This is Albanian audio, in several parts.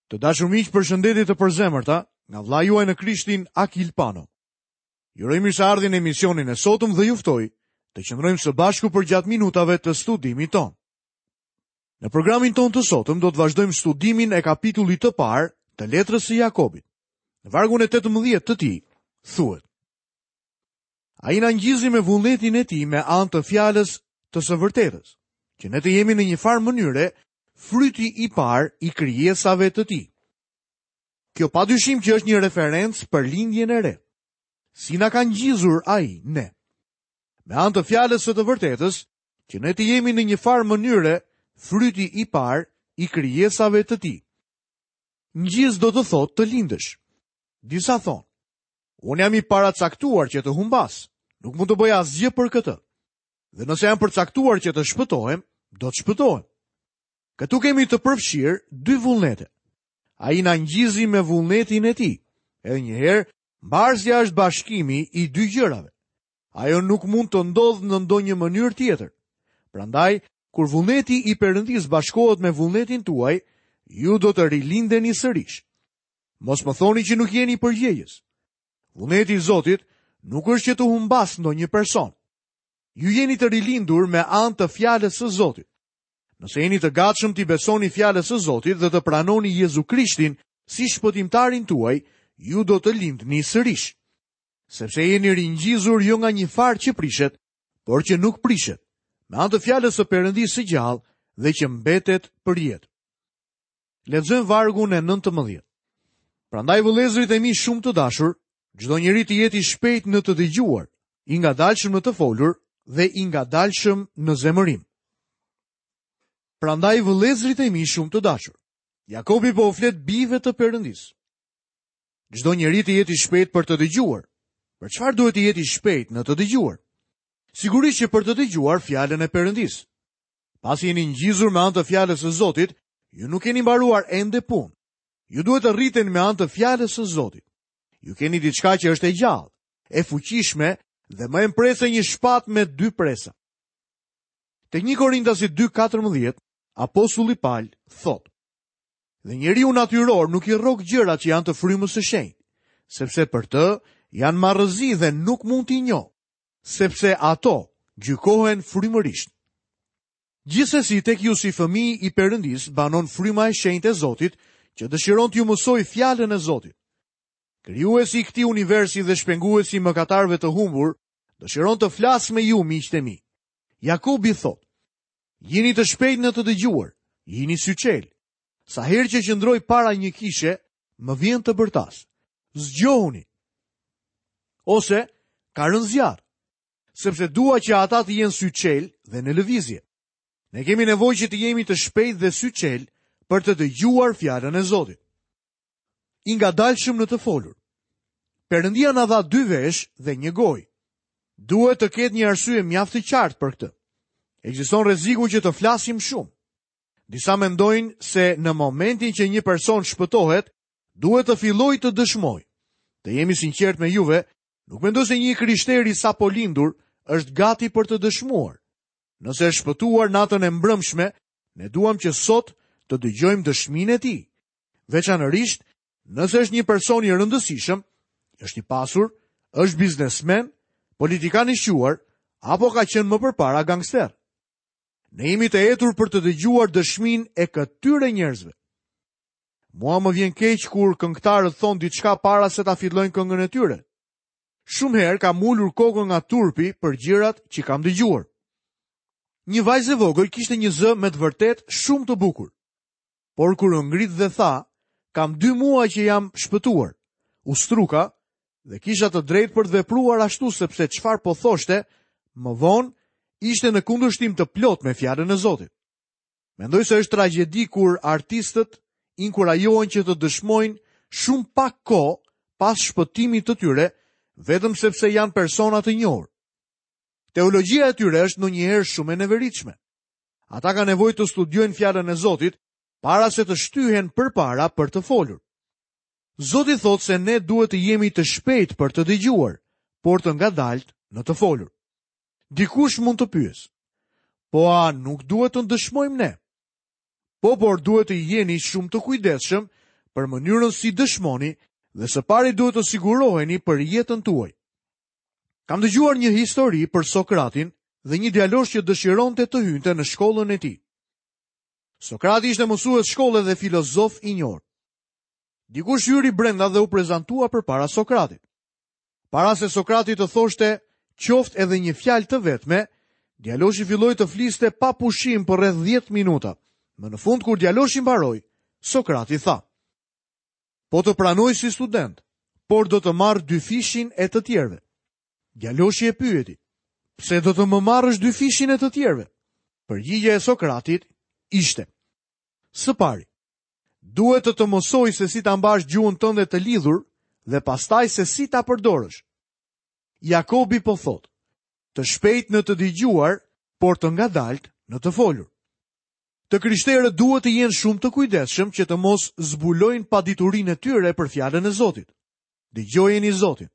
Të dashur miq, përshëndetje të përzemërta nga vëllai juaj në Krishtin Akil Pano. Ju uroj mirëseardhjen në emisionin e sotëm dhe ju ftoj të qëndrojmë së bashku përgjatë minutave të studimit tonë. Në programin tonë të sotëm do të vazhdojmë studimin e kapitullit të parë të letrës së Jakobit. Në vargun e 18 të tij thuhet: Ai na ngjizi me vullnetin e tij me anë të fjalës të së vërtetës, që ne të jemi në një farë mënyre fryti i parë i krijesave të tij. Kjo pa dyshim që është një referencë për lindjen e re. Si na ka ngjizur ai ne? Me anë të fjalës së të vërtetës, që ne të jemi në një farë mënyre fryti i parë i krijesave të tij. Ngjiz do të thotë të lindësh. Disa thonë, unë jam i paracaktuar që të humbas, nuk mund të bëj asgjë për këtë. Dhe nëse jam përcaktuar që të shpëtohem, do të shpëtohem. Këtu kemi të përfshirë dy vullnete. Ai na ngjizi me vullnetin e tij. Edhe një herë, mbarsja është bashkimi i dy gjërave. Ajo nuk mund të ndodhë në ndonjë mënyrë tjetër. Prandaj, kur vullneti i Perëndisë bashkohet me vullnetin tuaj, ju do të rilindeni sërish. Mos më thoni që nuk jeni përgjegjës. Vullneti i Zotit nuk është që të humbasë ndonjë person. Ju jeni të rilindur me anë të fjalës së Zotit. Nëse jeni të gatshëm t'i besoni fjalës së Zotit dhe të pranoni Jezu Krishtin si shpëtimtarin tuaj, ju do të lindni sërish. Sepse jeni ringjizur jo nga një farë që prishet, por që nuk prishet, me anë të fjalës së Perëndisë së gjallë dhe që mbetet përjetë. Lexojmë vargun e 19. Prandaj vëllezërit e mi shumë të dashur, çdo njeri të jetë i shpejtë në të dëgjuar, i ngadalshëm në të folur dhe i ngadalshëm në zemërim. Prandaj vëllezërit e mi shumë të dashur, Jakobi po u flet bijve të Perëndisë. Çdo njeri të jetë i shpejtë për të dëgjuar. Për çfarë duhet të jetë i shpejtë në të dëgjuar? Sigurisht që për të dëgjuar fjalën e Perëndisë. Pasi jeni ngjizur me anë të fjalës së Zotit, ju nuk keni mbaruar ende punë. Ju duhet të rriteni me anë të fjalës së Zotit. Ju keni diçka që është e gjallë, e fuqishme dhe më e mprehtë se një shpatë me dy presa. Te 1 Korintasit 2:14, apostulli Pal thotë: Dhe njeriu natyror nuk i rrok gjërat që janë të frymës së shenjtë, sepse për të janë marrëzi dhe nuk mund t'i njohë. sepse ato gjykohen frymërisht. Gjithsesi tek ju si fëmijë i Perëndisë banon fryma e shenjtë e Zotit, që dëshiron t'ju mësojë fjalën e Zotit. Krijuesi i këtij universi dhe shpenguesi i mëkatarëve të humbur, dëshiron të flasë me ju miqtë e mi. Jakobi thotë: Jini të shpejtë në të dëgjuar, jini syçelë. Sa herë që qëndroj para një kishe, më vjen të bërtas. Zgjohuni. Ose ka rënë zjarr, sepse dua që ata të jenë syçelë dhe në lëvizje. Ne kemi nevojë që të jemi të shpejtë dhe syçelë për të dëgjuar fjalën e Zotit. I ngadalshëm në të folur. Perëndia na dha dy veshë dhe një gojë. Duhet të ketë një arsye mjaft të qartë për këtë. Ekziston rreziku që të flasim shumë. Disa mendojnë se në momentin që një person shpëtohet, duhet të fillojë të dëshmojë. Të jem i sinqertë me juve, nuk mendoj se një i krishterë i sapolindur është gati për të dëshmuar. Nëse është shpëtuar natën e mbrëmshme, ne duam që sot të dëgjojmë dëshminë e tij. Veçanërisht, nëse është një person i rëndësishëm, është i pasur, është biznesmen, politikan i shquar, apo ka qenë më përpara gangster. Ne jemi të etur për të dëgjuar dëshminë e këtyre njerëzve. Mua më vjen keq kur këngëtarët thonë diçka para se ta fillojnë këngën e tyre. Shumë herë kam ulur kokën nga turpi për gjërat që kam dëgjuar. Një vajzë e vogël kishte një zë me të vërtetë shumë të bukur. Por kur u ngrit dhe tha, kam dy muaj që jam shpëtuar. U struka dhe kisha të drejtë për të vepruar ashtu sepse çfarë po thoshte më vonë ishte në kundërshtim të plotë me fjalën e Zotit. Mendoj se është tragjedi kur artistët inkurajohen që të dëshmojnë shumë pak kohë pas shpëtimit të tyre, vetëm sepse janë persona të njohur. Teologjia e tyre është ndonjëherë shumë e neveritshme. Ata kanë nevojë të studiojnë fjalën e Zotit para se të shtyhen përpara për të folur. Zoti thotë se ne duhet të jemi të shpejtë për të dëgjuar, por të ngadaltë në të folur. Dikush mund të pyesë, po a nuk duhet të dëshmojmë ne? Po, por duhet të jeni shumë të kujdesshëm për mënyrën si dëshmoni dhe së pari duhet të siguroheni për jetën tuaj. Kam dëgjuar një histori për Sokratin dhe një djalosh që dëshironte të hynte në shkollën e tij. Sokrati ishte mësues shkolle dhe filozof i njohur. Dikush hyri brenda dhe u prezantua përpara Sokratit. Para se Sokrati të thoshte qoftë edhe një fjalë të vetme, djaloshi filloi të fliste pa pushim për rreth 10 minuta. Më në fund kur djaloshi mbaroi, Sokrati tha: Po të pranoj si student, por do të marr dyfishin e të tjerëve. Djaloshi e pyeti: Pse do të më marrësh dyfishin e të tjerëve? Përgjigja e Sokratit ishte: Së pari, duhet të të mësoj se si ta mbash gjuhën tënde të lidhur dhe pastaj se si ta përdorësh. Jakobi po thotë, të shpejtë në të dëgjuar, por të ngadaltë në të folur. Të krishterët duhet të jenë shumë të kujdesshëm që të mos zbulojnë paditurinë e tyre për fjalën e Zotit. Dëgjojeni Zotin.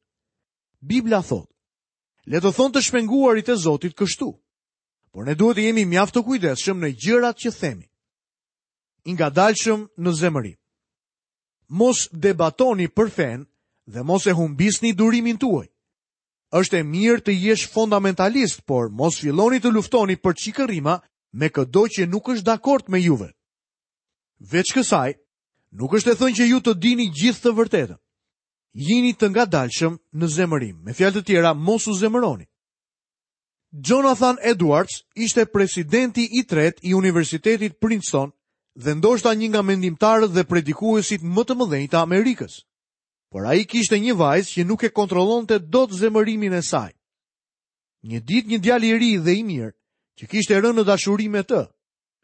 Bibla thotë, le të thonë të shpenguarit e Zotit kështu. Por ne duhet të jemi mjaft të kujdesshëm në gjërat që themi. I ngadalshëm në zemërim. Mos debatoni për fenë dhe mos e humbisni durimin tuaj. Është e mirë të jesh fondamentalist, por mos filloni të luftoni për çikërrima me këdo që nuk është dakord me juve. Veç kësaj, nuk është e thënë që ju të dini gjithë të vërtetën. Jini të ngadalshëm në zemërim. Me fjalë të tjera, mos u zemëroni. Jonathan Edwards ishte presidenti i tretë i Universitetit Princeton dhe ndoshta një nga mendimtarët dhe predikuesit më të mëdhenj të Amerikës. Por ai kishte një vajzë që nuk e kontrollonte dot zemërimin e saj. Një ditë një djalë i ri dhe i mirë, që kishte rënë në dashuri me të,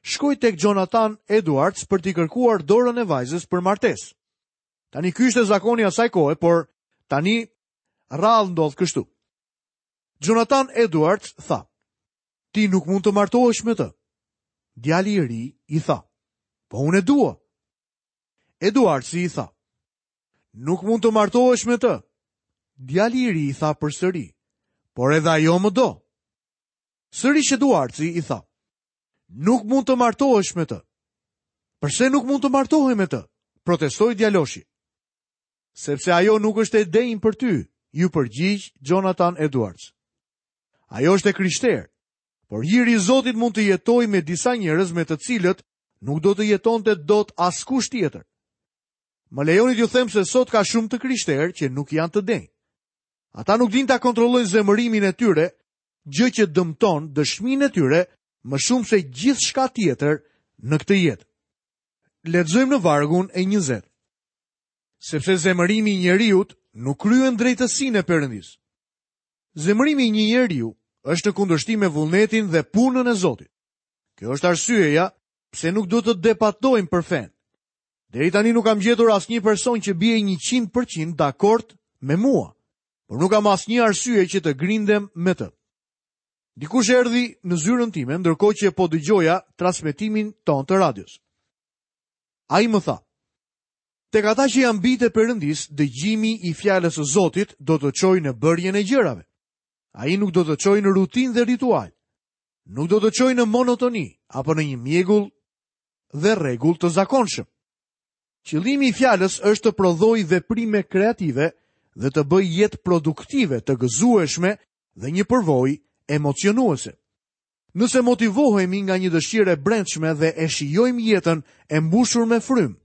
shkoi tek Jonathan Edwards për t'i kërkuar dorën e vajzës për martesë. Tani ky ishte zakoni i asaj kohe, por tani rrallë ndodh kështu. Jonathan Edwards tha: "Ti nuk mund të martohesh me të." Djali i ri i tha: "Po unë e dua." Edwardsi i tha: "Nuk mund të martohesh me të." Djali i ri i tha përsëri: "Por edhe ajo më do." Sërish Edwardsi i tha: "Nuk mund të martohesh me të." Përse nuk mund të martohem me të? Protestoi djaloshi. Sepse ajo nuk është e denjë për ty, iu përgjigj Jonathan Edwards. Ajo është e krishterë, por hiri i Zotit mund të jetojë me disa njerëz me të cilët nuk do të jetonte dot askush tjetër. Më lejoni t'ju them se sot ka shumë të krishterë që nuk janë të denjë. Ata nuk dinë ta kontrollojnë zemërimin e tyre, gjë që dëmton dëshminë e tyre më shumë se gjithçka tjetër në këtë jetë. Lexojmë në vargun e 20. Sepse zemërimi i njeriut nuk kryen drejtësinë e Perëndisë. Zemërimi i një njeriu është në kundërshtim me vullnetin dhe punën e Zotit. Kjo është arsyeja pse nuk do të debatojmë për fenë. Deri tani nuk kam gjetur asnjë person që bie 100% dakord me mua, por nuk kam asnjë arsye që të grindem me të. Dikush erdhi në zyrën time ndërkohë që po dëgjoja transmetimin tonë të radios. Ai më tha: Tek ata që janë bijtë e Perëndisë, dëgjimi i fjalës së Zotit do të çojë në bërjen e gjërave. Ai nuk do të çojë në rutinë dhe ritual. Nuk do të çojë në monotoni apo në një mjegull dhe rregull të zakonshëm. Qëllimi i fjalës është të prodhojë veprime kreative dhe të bëjë jetë produktive, të gëzueshme dhe një përvojë emocionuese. Nëse motivohemi nga një dëshirë e brendshme dhe e shijojmë jetën e mbushur me frymë,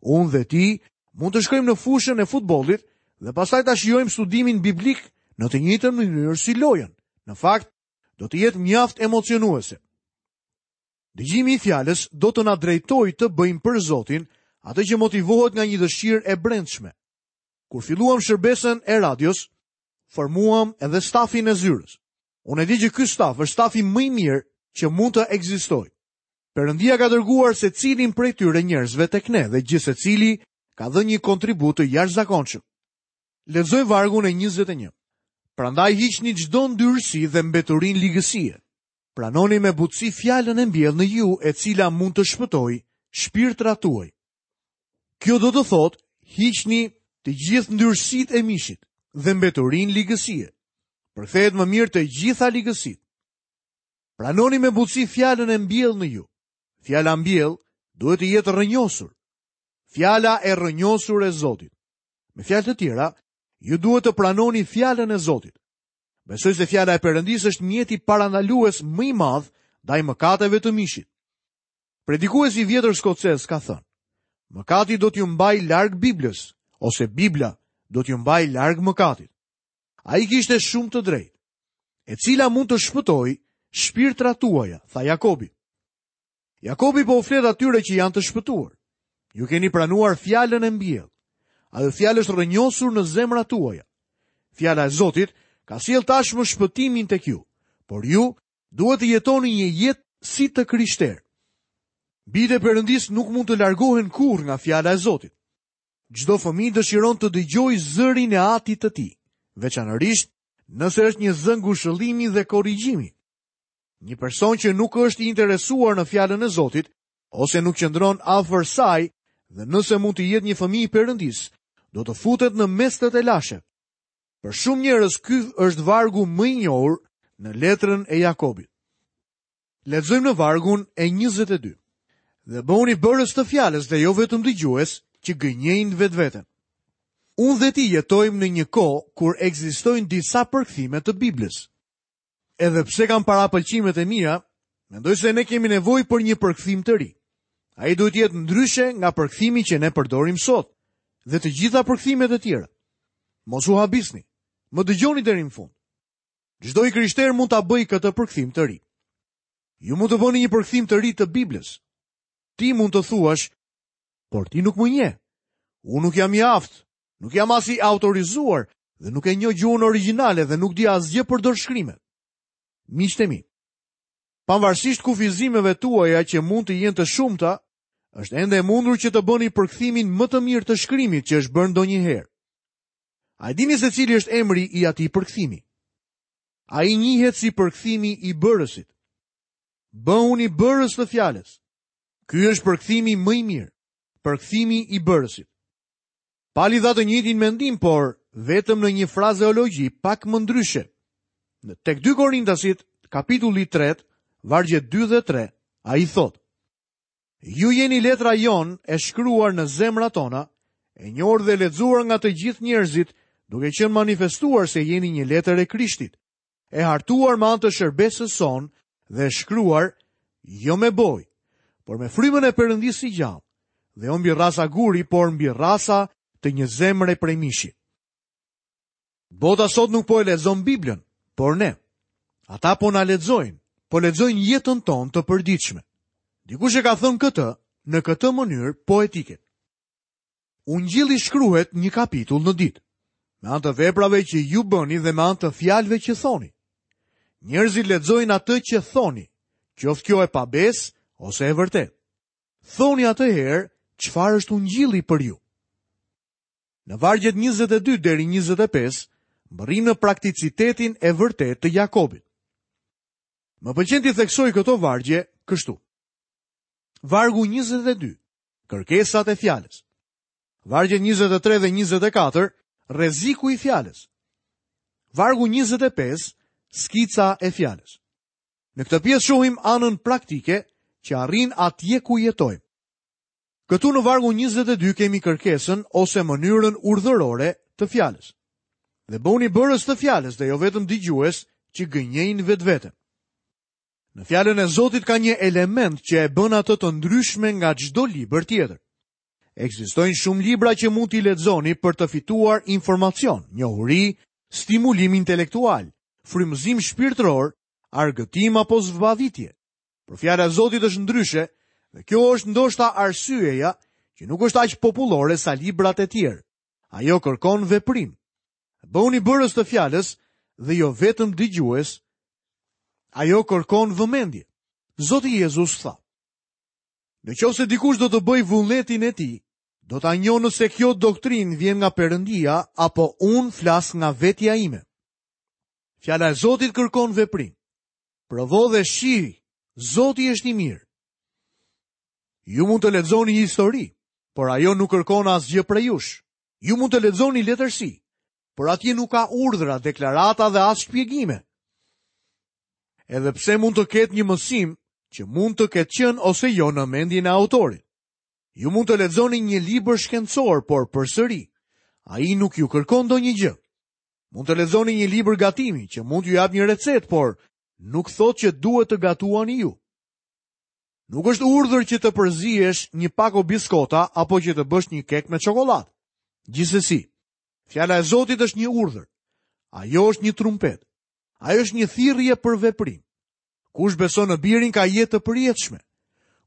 unë dhe ti mund të shkojmë në fushën e futbollit dhe pastaj ta shijojmë studimin biblik në të njëjtën mënyrë si lojën. Në fakt, do të jetë mjaft emocionuese. Dëgjimi i fjalës do të na drejtojë të bëjmë për Zotin atë që motivohet nga një dëshirë e brendshme. Kur filluam shërbesën e radios, formuam edhe stafin e zyrës. Unë e di që ky staf është stafi më i mirë që mund të ekzistojë. Perëndia ka dërguar secilin prej tyre njerëzve tek ne dhe gjithsecili ka dhënë një kontribut të jashtëzakonshëm. Lexoj vargun e 21. Prandaj hiqni çdo ndyrësi dhe mbeturinë ligësie. Pranoni me butësi fjalën e mbjellë në ju, e cila mund të shpëtojë shpirtrat tuaj. Kjo do të thotë hiqni të gjithë ndyrësitë e mishit dhe mbeturinë ligësie. Përkthehet më mirë të gjitha ligësitë. Pranoni me butësi fjalën e mbjellë në ju. Fjala mbjellë duhet të jetë rrënjosur. Fjala e rrënjosur e Zotit. Me fjalë të tjera, ju duhet të pranoni fjalën e Zotit. Besoj se fjala e Perëndisë është mjeti parandalues më i madh ndaj mëkateve të mishit. Predikuesi i vjetër skocez ka thënë: Mëkati do t'ju mbajë larg Biblës, ose Bibla do t'ju mbajë larg mëkatit. Ai kishte shumë të drejtë. E cila mund të shpëtojë shpirtrat tuaja, tha Jakobi. Jakobi po u flet atyre që janë të shpëtuar. Ju keni pranuar fjalën e mbjellë. Ajo fjalë është rrënjosur në zemrat tuaja. Fjala e Zotit ka sjellë tashmë shpëtimin tek ju, por ju duhet të jetoni një jetë si të krishterë. Bijtë e Perëndisë nuk mund të largohen kurrë nga fjala e Zotit. Çdo fëmijë dëshiron të dëgjojë zërin e atit të tij, veçanërisht nëse është një zë ngushëllimi dhe korrigjimi. Një person që nuk është i interesuar në fjalën e Zotit ose nuk qëndron afër saj dhe nëse mund të jetë një fëmijë i Perëndisë, do të futet në mes të telasheve. Për shumë njerëz ky është vargu më i njohur në letrën e Jakobit. Lexojmë në vargun e 22. Dhe bëhuni bërës të fjalës dhe jo vetëm dëgjues që gënjejnë vetveten. Unë dhe ti jetojmë në një kohë kur ekzistojnë disa përkthime të Biblës. Edhe pse kam parapëlqimet e mia, mendoj se ne kemi nevojë për një përkthim të ri. Ai duhet të jetë ndryshe nga përkthimi që ne përdorim sot dhe të gjitha përkthimet e tjera. Mos u habisni. Më dëgjoni deri në fund. Çdo i krishterë mund ta bëjë këtë përkthim të ri. Ju mund të bëni një përkthim të ri të Biblës. Ti mund të thuash, por ti nuk më njeh. Unë nuk jam i aftë, nuk jam as i autorizuar dhe nuk e njoh gjuhën origjinale dhe nuk di asgjë për dorëshkrimet. Miqtë e mi, pavarësisht kufizimeve tuaja që mund të jenë të shumta, është ende e mundur që të bëni përkthimin më të mirë të shkrimit që është bërë ndonjëherë. A e dini se cili është emri i atij përkthimi? Ai njihet si përkthimi i bërësit. Bëhuni bërës të fjalës. Ky është përkthimi më i mirë, përkthimi i bërësit. Pali dha të njëjtin mendim, por vetëm në një frazeologji pak më ndryshe. Në tek 2 Korintasit, kapitulli 3, vargjet 2 dhe 3, ai thotë: Ju jeni letra jonë e shkruar në zemrat tona, e njohur dhe lexuar nga të gjithë njerëzit, duke qenë manifestuar se jeni një letër e Krishtit, e hartuar me anë të shërbesës sonë dhe e shkruar jo me bojë, por me frymën e Perëndisë së gjallë, dhe jo mbi rrasa guri, por mbi rrasa të një zemre prej mishi. Bota sot nuk po e lexon Biblën, por ne. Ata po na lexojnë, po lexojnë jetën tonë të përditshme. Dikush e ka thënë këtë në këtë mënyrë poetike. Ungjilli shkruhet një kapitull në ditë, me anë të veprave që ju bëni dhe me anë të fjalëve që thoni. Njerëzit lexojnë atë që thoni, qoftë kjo e pabesë ose e vërtetë. Thoni atëherë çfarë është ungjilli për ju. Në vargjet 22 deri 25, mbërrijmë në prakticitetin e vërtetë të Jakobit. Më pëlqen t'i theksoj këto vargje kështu. Vargu 22, kërkesat e fjalës. Vargjet 23 dhe 24, rreziku i fjalës. Vargu 25, skica e fjalës. Në këtë pjesë shohim anën praktike që arrin atje ku jetojmë. Këtu në vargun 22 kemi kërkesën ose mënyrën urdhërore të fjalës. Dhe bëhuni bërës të fjalës dhe jo vetëm dëgjues që gënjejnë vetveten. Në fjalën e Zotit ka një element që e bën atë të ndryshme nga çdo libër tjetër. Ekzistojnë shumë libra që mund t'i lexoni për të fituar informacion, njohuri, stimulim intelektual, frymëzim shpirtëror, argëtim apo zbavitje. Por fjala e Zotit është ndryshe dhe kjo është ndoshta arsyeja që nuk është aq popullore sa librat e tjerë. Ajo kërkon veprim. Bëhuni bërës të fjalës dhe jo vetëm dëgjues. Ajo kërkon vëmendje. Zoti Jezus tha: Në qoftë se dikush do të bëjë vullnetin e tij, do ta njohë nëse kjo doktrinë vjen nga Perëndia apo unë flas nga vetja ime. Fjala e Zotit kërkon veprim. Provo dhe shih, Zoti është i mirë. Ju mund të lexoni histori, por ajo nuk kërkon asgjë prej jush. Ju mund të lexoni letërsi, por atje nuk ka urdhra, deklarata dhe as shpjegime. Edhe pse mund të ketë një mësim që mund të ketë qenë ose jo në mendjen e autorit. Ju mund të lexoni një libër shkencor, por përsëri, ai nuk ju kërkon ndonjë gjë. Mund të lexoni një libër gatimi që mund t'ju japë një recetë, por nuk thotë që duhet të gatuani ju. Nuk është urdhër që të përziesh një pako biskota apo që të bësh një kek me çokollatë. Gjithsesi, fjala e Zotit është një urdhër. Ajo është një trumpetë. Ajo është një thirrje për veprim. Kush beson në birin ka jetë të përjetshme.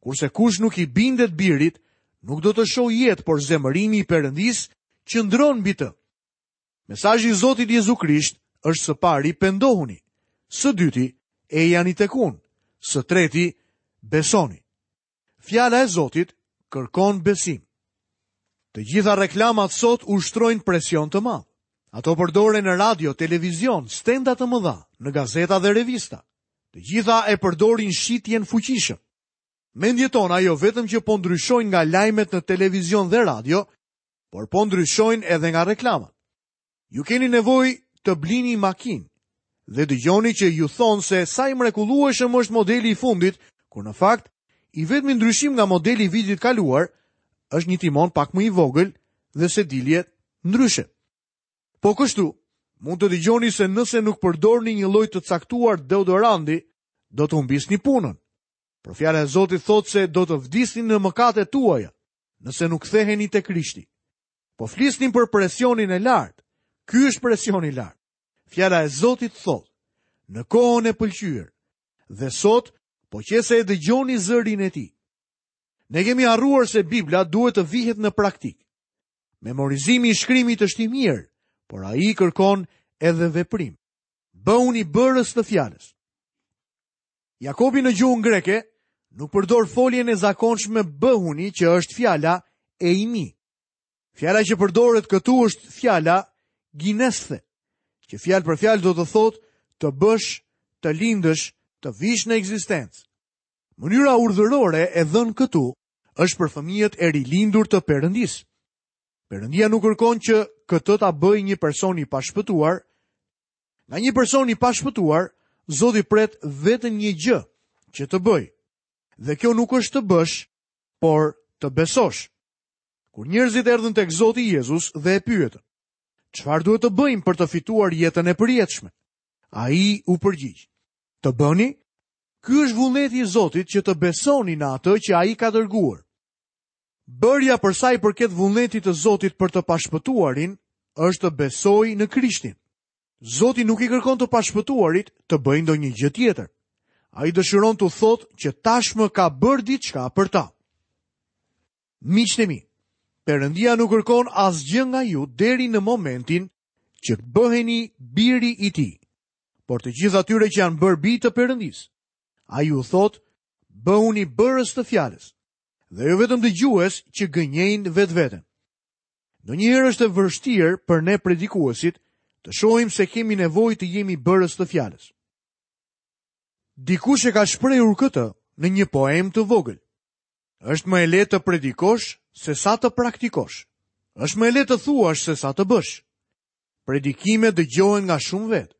Kurse kush nuk i bindet birit, nuk do të shohë jetë, por zemërimi i Perëndisë qëndron mbi të. Mesazhi i Zotit Jezu Krisht është së pari pendohuni, së dyti ejani tek unë, së treti besoni. Fjala e Zotit kërkon besim. Të gjitha reklamat sot ushtrojnë presion të madh. Ato përdoren në radio, televizion, stenda të mëdha, në gazeta dhe revista. Të gjitha e përdorin shitjen fuqishëm. Mendjet tona jo vetëm që po ndryshojnë nga lajmet në televizion dhe radio, por po ndryshojnë edhe nga reklamat. Ju keni nevojë të blini makinë dhe dëgjoni që ju thonë se sa i mrekullueshëm është modeli i fundit, kur në fakt i vetmi ndryshim nga modeli i vitit kaluar është një timon pak më i vogël dhe sediljet ndryshe. Po kështu, mund të dëgjoni se nëse nuk përdorni një lloj të caktuar deodoranti, do të humbisni punën. Por fjala e Zotit thotë se do të vdisni në mëkatet tuaja, nëse nuk ktheheni te Krishti. Po flisnim për presionin e lartë. Ky është presioni i lartë. Fjala e Zotit thotë, në kohën e pëlqyer, dhe sot, po qe se e dëgjoni zërin e tij. Ne kemi harruar se Bibla duhet të vihet në praktikë. Memorizimi i shkrimit është i mirë, por ai kërkon edhe veprim. Bëhuni bërës të fjalës. Jakobi në gjuhën greke nuk përdor foljen e zakonshme bëhuni që është fjala eimi. Fjala që përdoret këtu është fjala ginesthe, që fjalë për fjalë do të thotë të bësh, të lindësh, të vish në ekzistencë. Mënyra urdhërore e dhënë këtu është për fëmijët e rilindur të Perëndisë. Perëndia nuk kërkon që këtë ta bëjë një person i pashpëtuar. Nga një person i pashpëtuar, Zoti pret vetëm një gjë që të bëjë. Dhe kjo nuk është të bësh, por të besosh. Kur njerëzit erdhën tek Zoti Jezus dhe e pyetën, çfarë duhet të bëjmë për të fituar jetën e përjetshme? Ai u përgjigj, të bëni? Ky është vullneti i Zotit që të besoni në atë që ai ka dërguar. Bërja për sa i përket vullnetit të Zotit për të pashpëtuarin është të besojë në Krishtin. Zoti nuk i kërkon të pashpëtuarit të bëjnë ndonjë gjë tjetër. Ai dëshiron t'u thotë që tashmë ka bërë diçka për ta. Miqtë e mi, Perëndia nuk kërkon asgjë nga ju deri në momentin që bëheni biri i tij. Por të gjithë atyre që janë bërë bij të Perëndisë, ai u thotë, bëhuni bërës të fjalës dhe jo vetëm dëgjues që gënjejnë vetveten. Ndonjëherë është e vështirë për ne predikuesit të shohim se kemi nevojë të jemi bërës të fjalës. Dikush e ka shprehur këtë në një poemë të vogël. Është më e lehtë të predikosh se sa të praktikosh. Është më e lehtë të thuash se sa të bësh. Predikimet dëgjohen nga shumë vetë,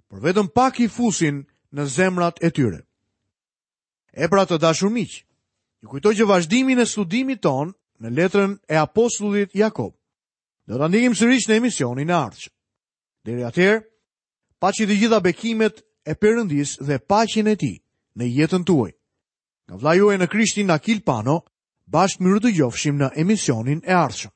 por vetëm pak i fusin në zemrat e tyre. E pra të dashur miq, ju kujtoj që vazhdimin e studimit tonë në letrën e apostullit Jakob, do ta ndjekim sërish në emisionin e ardhshëm. Deri atëherë, paçi të gjitha bekimet e Perëndisë dhe paqen e tij në jetën tuaj. Nga vëllai juaj në Krishtin Akil Pano, bashkë mirudëgjofshim në emisionin e ardhshëm.